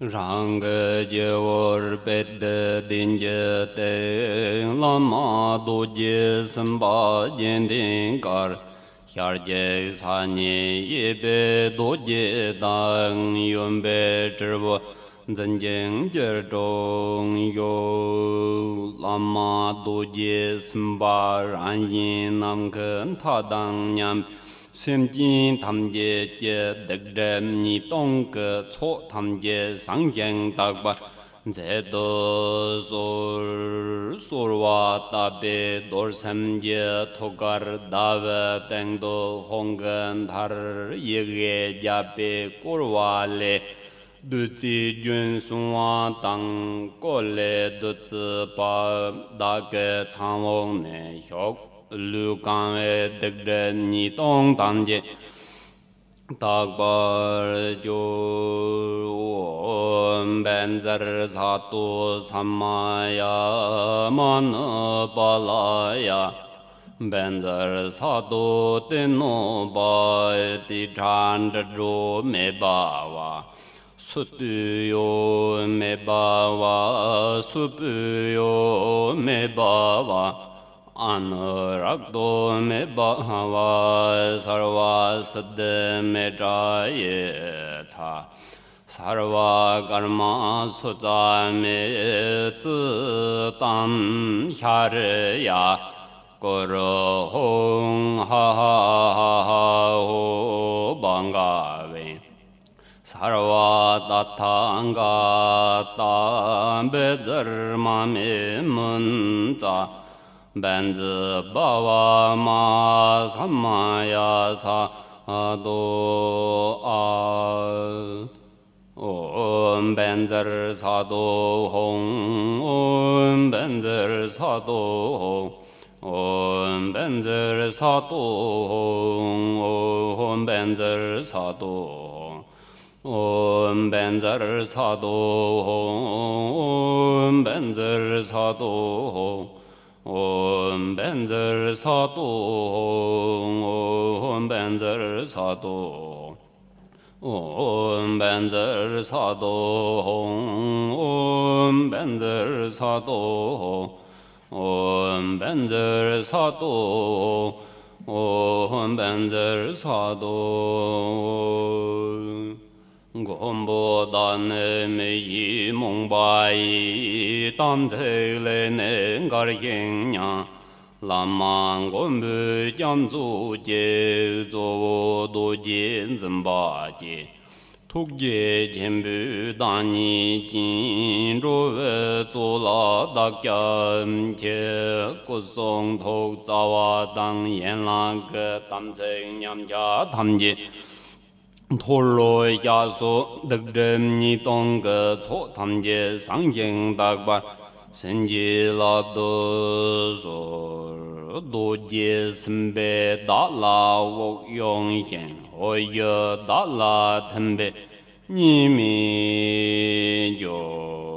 Rang Jewor Bed Dinje Te Lama Doje Samba Jendin Kar Hyarje Sanye Yebe Doje Dang Yumbe Turbo Zanjeng Jerdong Yo Lama Doje Samba Ranyin Namken Tadang Nyam Xem Jin Tham Ye Jie Dek Dem Ni Tong Ke Cho Tham Ye Sang Yang Tak Ba Ze Do Sor Wa Ta Be Dor Sem Ye Tokar Da Ve Teng Do Hong Gen Thar Ye Ge Ja Be Kor Wa Le Du Ti Jun Sung Wa Tang Ko Le Du Zi Pa Da Ge Chang Wong Ne Hyok Lu Gang Wei Dek Den Ni Tong Tam Je Tak Bar Jo Ben Zer Sa Tu Sam Ma Ya Man Ba La Ya Ben Zer Sa Tu Ten No Ba Ti Chan De Ru Me Ba Wa Su Tu Yo Me Ba Wa Su Pu Yo Me Ba Wa Anuragdo me bhava sarva siddha me jaye tha sarva karma sutta me tsu tam hyarya koro hong ha ha ha ha ho bangave sarva tathanga ta bezarma me munta Benzi Bhava Ma Samaya Sa Do A Om Benzer Sa Do Hong Om Benzer Sa Do Hong Om Benzer Sa Do Hong Om Benzer Sa Do Hong Om Benzer Sa Do Hong Om Benzer Sa Do Hong Om Benzer Sa Do Om Benzer Sa Do Om Benzer Sa Do Om Benzer Sa Do Om Benzer Sa Do Om Benzer Sa Do Gombo Dan Me Yi Mong Bai Tam Te Le Ne Gar Yin Yang Lam Man Gom Bu Jam Zu Jie Zo Do Jin Zhen Ba Jie Tuk Jie Jin Bu Dan Ni Jin Ru We Zu La Da Gyam Jie Gu Song Tok Za Wa Dang Yen La Ge Tam Te Nyam Ja Tam Jie Tholo Ya So Dek Dem Ni Tong Ge Cho Tham Je Sang Jing Dak Ba Sen Ji La Do So Do Je Sim Be Da La Wok Yong Hian Ho Ye Da La Ten Be Ni Mi Jo